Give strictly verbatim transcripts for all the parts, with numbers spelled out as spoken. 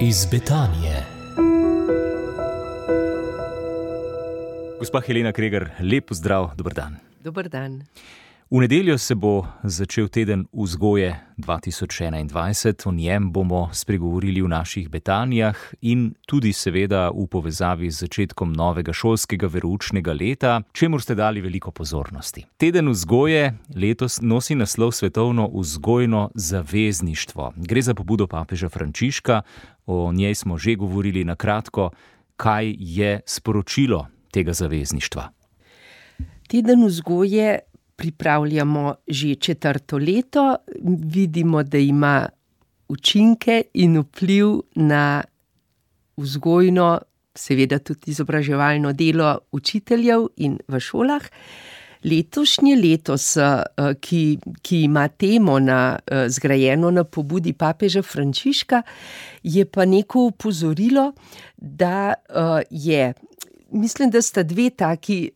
iz Betanije. Gospa Helena Kregar, lep pozdrav, dober dan. Dober dan. V nedeljo se bo začel teden vzgoje dva tisoč enaindvajset, o njem bomo spregovorili v naših Betanijah in tudi seveda v povezavi z začetkom novega šolskega veroučnega leta, čemur ste dali veliko pozornosti. Teden vzgoje letos nosi naslov Svetovno vzgojno zavezništvo. Gre za pobudo papeža Frančiška, o njej smo že govorili na kratko. Kaj je sporočilo tega zavezništva? Teden vzgoje pripravljamo že četrto leto, vidimo, da ima učinke in vpliv na vzgojno, seveda tudi izobraževalno delo učiteljev in v šolah. Letošnje leto, ki, ki ima temo na, zgrajeno na pobudi papeža Frančiška, je pa neko opozorilo, da je, mislim, da sta dve taki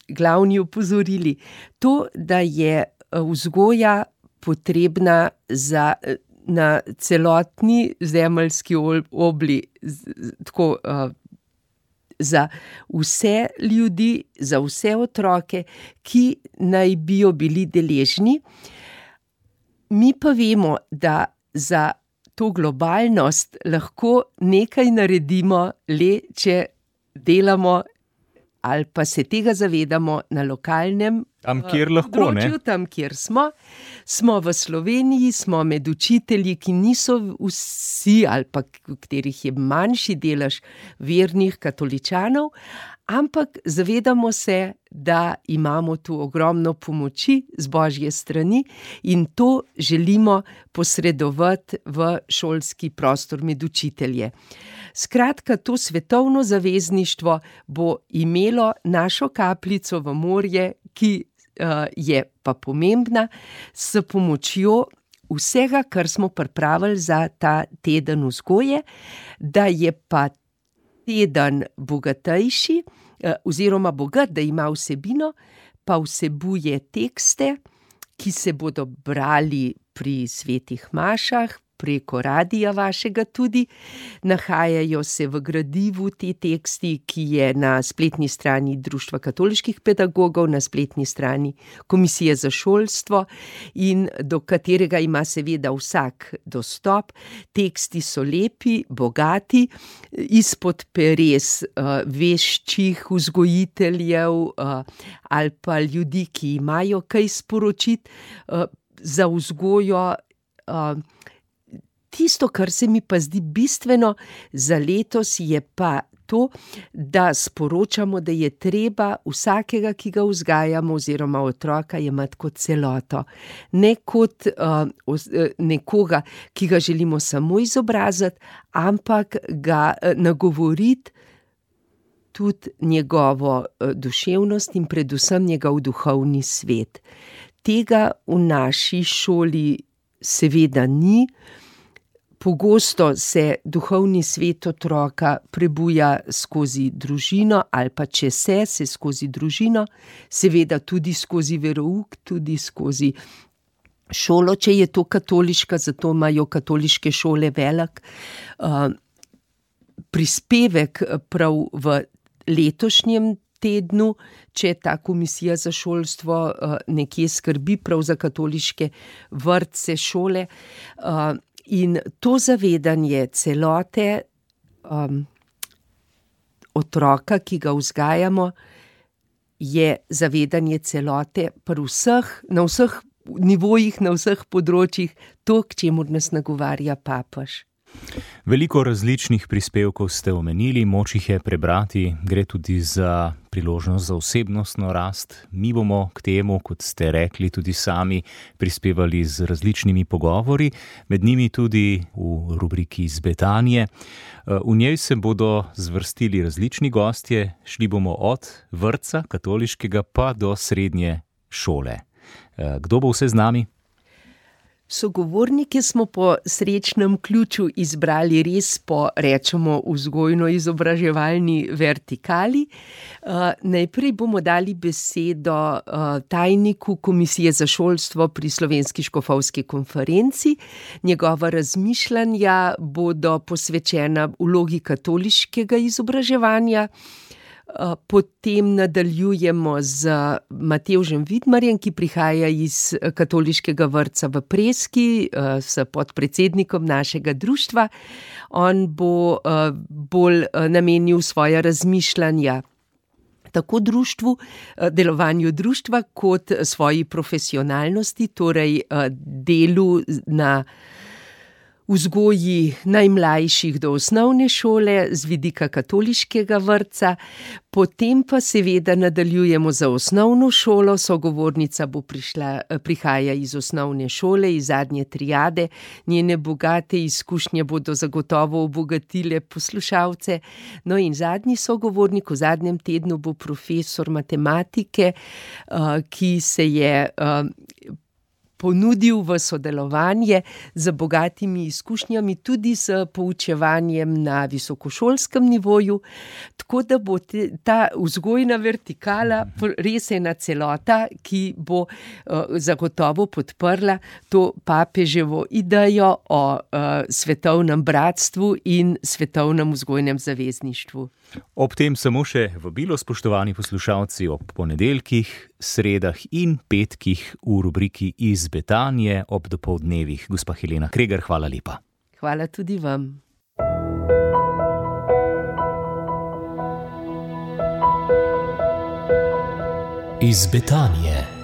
glavni opozorili. To, da je vzgoja potrebna za, na celotni zemeljski obli, tako, za vse ljudi, za vse otroke, ki naj bi jo bili deležni. Mi pa vemo, da za to globalnost lahko nekaj naredimo le, če delamo ali pa se tega zavedamo na lokalnem Tam, kjer lahko, področju, tam, kjer smo. Smo v Sloveniji, smo med učitelji, ki niso vsi, ali pa v katerih je manjši delež vernih katoličanov, ampak zavedamo se, da imamo tu ogromno pomoči z Božje strani in to želimo posredovati v šolski prostor med učitelje. Skratka, to svetovno zavezništvo bo imelo našo kapljico v morje, ki uh, je pa pomembna, s pomočjo vsega, kar smo pripravili za ta teden vzgoje, da je pa teden bogatejši, uh, oziroma bogat, da ima vsebino, pa vsebuje tekste, ki se bodo brali pri svetih mašah, preko radija vašega tudi. Nahajajo se v gradivu ti teksti, ki je na spletni strani Društva katoliških pedagogov, na spletni strani Komisije za šolstvo in do katerega ima seveda vsak dostop. Teksti so lepi, bogati, izpod peres uh, veščih vzgojiteljev uh, ali pa ljudi, ki imajo kaj sporočiti uh, za vzgojo. Uh, Tisto, kar se mi pa zdi bistveno za letos, je pa to, da sporočamo, da je treba vsakega, ki ga vzgajamo, oziroma otroka jemati kot celoto. Ne kot uh, nekoga, ki ga želimo samo izobraziti, ampak ga uh, nagovoriti tudi njegovo uh, duševnost in predvsem njegov duhovni svet. Tega v naši šoli seveda ni. Pogosto se duhovni svet otroka prebuja skozi družino ali pa če se, se skozi družino, seveda tudi skozi verouk, tudi skozi šolo, če je to katoliška, zato imajo katoliške šole velik uh, prispevek prav v letošnjem tednu, če ta komisija za šolstvo uh, nekje skrbi prav za katoliške vrtce, šole. Uh, In to zavedanje celote um, otroka, ki ga vzgajamo, je zavedanje celote pri vseh, na vseh nivojih, na vseh področjih, to, k čemur nas nagovarja papež. Veliko različnih prispevkov ste omenili, moč jih je prebrati, gre tudi za priložnost za osebnostno rast. Mi bomo k temu, kot ste rekli, tudi sami prispevali z različnimi pogovori, med njimi tudi v rubriki iz Betanije. V njej se bodo zvrstili različni gostje, šli bomo od vrtca katoliškega pa do srednje šole. Kdo bo vse z nami? Sogovornike smo po srečnem ključu izbrali res po, rečemo, vzgojno-izobraževalni vertikali. Uh, najprej bomo dali besedo uh, tajniku Komisije za šolstvo pri Slovenski škofovski konferenci. Njegova razmišljanja bodo posvečena vlogi katoliškega izobraževanja. Potem nadaljujemo z Matevžem Vidmarjem, ki prihaja iz katoliškega vrtca v Preski, s podpredsednikom našega društva. On bo bolj namenil svoja razmišljanja tako društvu, delovanju društva, kot svoji profesionalnosti, torej delu na vzgoji najmlajših do osnovne šole z vidika katoliškega vrtca, potem pa seveda nadaljujemo za osnovno šolo. Sogovornica bo prišla, prihaja iz osnovne šole, iz zadnje triade. Njene bogate izkušnje bodo zagotovo obogatile poslušalce. No in zadnji sogovornik v zadnjem tednu bo profesor matematike, ki se je ponudil v sodelovanje z bogatimi izkušnjami, tudi s poučevanjem na visokošolskem nivoju, tako da bo te, ta vzgojna vertikala res ena celota, ki bo uh, zagotovo podprla to papeževo idejo o uh, svetovnem bratstvu in svetovnem vzgojnem zavezništvu. Ob tem samo še vabilo, spoštovani poslušalci, ob ponedeljkih, sredah in petkih v rubriki Iz Betanije ob dopoldnevih. Gospa Helena Kregar, hvala lepa. Hvala tudi vam. Iz Betanije.